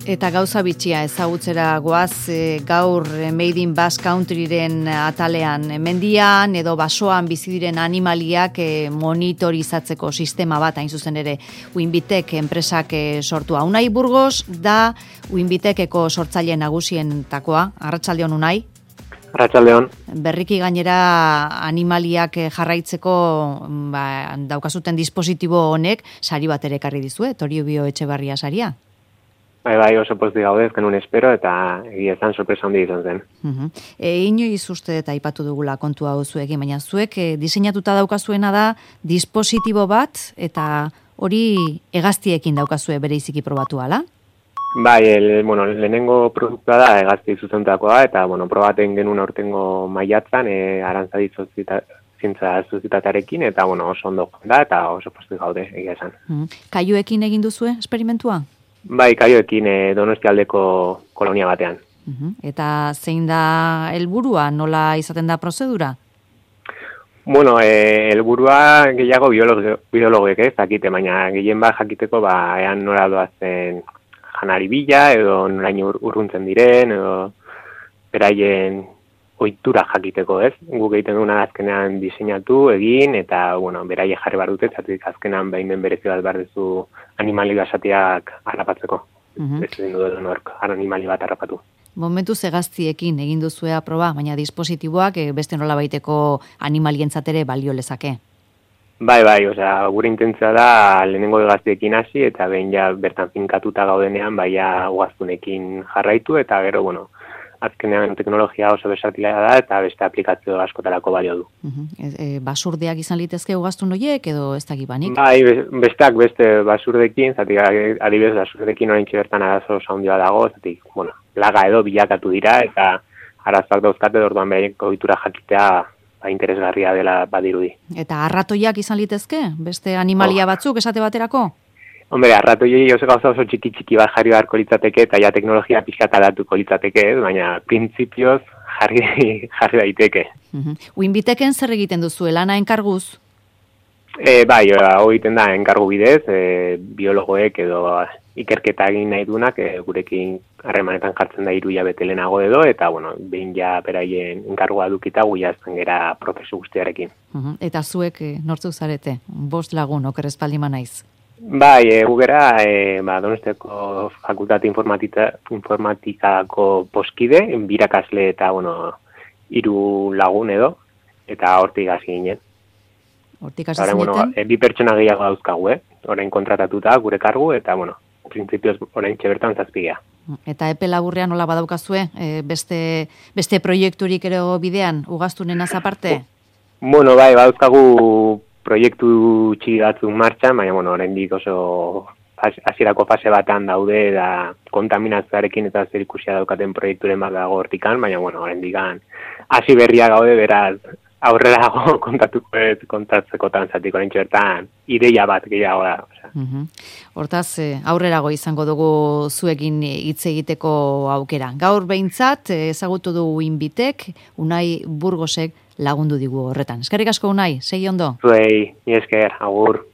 Eta gauza bitxia ezagutzera goaz gaur Made in Basque Countryren atalean mendian edo basoan bizi diren animaliak monitorizatzeko sistema bat hain zuzen ere Uinbitek enpresak sortua. Unai Burgos da Uinbitekeko sortzaile nagusientakoa. Arratsaldeon Unai. Arratsaldeon. Berriki gainera animaliak jarraitzeko daukazuten dispositibo honek sari bat ere ekarri dizue, Toribio Etxebarria saria. Bai, oso pozik gaude, genuen espero, eta egia esan sorpresa handi izan zen. Inoiz uste eta aipatu dugula kontua hau zuekin, baina zuek diseinatuta daukazuena da dispositibo bat, eta hori hegaztiekin daukazue bereiziki probatu ala? Bai, lehenengo produktua da hegazti zuzentutakoa, eta probaten genuen aurtengo maiatzan, Arantzadi zientza sozietatearekin, eta oso ondo da, eta oso pozik gaude, egia esan. Kaiuekin egin duzue esperimentua? Bai, Kaioekin Donostialdeko kolonia batean. Eta zein da helburua, nola izaten da prozedura? Helburua gehiago biologoek dakite, baina gehien bat jakiteko ean nola doazen janari bila, edo noraino urruntzen diren, edo beraien ohitura jakiteko, ez? Guk egiten duguna azkenean diseinatu, egin, eta, beraie jarri bar dute, zatik azkenean behin berezi bat behar duzu animali basatiak harrapatzeko. Ez egin duen nork, animali bat harrapatu. Momentuz hegaztiekin egin duzuea proba, baina dispositiboak beste nola baiteko animalientzat ere balio lezake. Bai, gure intentzioa da lehenengo hegaztiekin hasi, eta behin ja bertan finkatuta gaudenean, ugaztunekin jarraitu, eta gero, azkenean teknologia oso besatila da eta beste aplikazio askotarako balio du. Basurdeak izan litezke ugaztun horiek edo ez dakibanik? Bai, beste basurdekin, zatik adibidez basurdekin oraintxe bertan arazo oso handia dago, zatik, plaga edo bilakatu dira eta arazoak dauzkate orduan bereko ohitura jakitea interesgarria dela badirudi. Eta arratoiak izan litezke? Beste animalia batzuk esate baterako? Arratoiei oso gauza oso txiki bat jarri beharko litzateke eta ja teknologia pixkat aldatuko litzateke, baina printzipioz jarri daiteke. Uinbiteken zer egiten duzu, lana enkarguz? Bai, hau egiten da enkargu bidez, biologoek edo ikerketa egin nahi dunak gurekin harremanetan jartzen da 3 hilabete lehenago edo, eta behin ja beraien enkargua dukita guiazten gera prozesu guztiarekin. Eta zuek nortzuk zarete? 5 lagun, oker espaldima naiz. Bai, gugera Donostiako fakultate informatikako poskide, birakasle eta, 3 lagun edo, eta hortik hasi ginen. Hortik hasi zineten? 2 pertsona gehiago dauzkagu, orain kontratatuta gure kargu, eta, printzipioz orain bertan 7. Eta epe laburrean nola badaukazue, beste proiekturik ere bidean, ugaztunen aparte? Bai, badauzkagu proiektu txiki batzuk martxan, baina, oraindik oso hasierako fase batean daude, da kontaminazioarekin eta zerikusia daukaten proiekturen bat dago hortikan, baina, oraindik hasi berria gaude, beraz, aurrera kontatzekotan zatik oraintxe bertan, ideia bat gehiago da. Hortaz, aurrerago izango dugu zuekin hitz egiteko aukera. Gaur behintzat, ezagutu du Uinbitek, Unai Burgosek lagundu digu horretan. Eskerrik asko Unai, segi ondo. Zuei, ni esker, agur.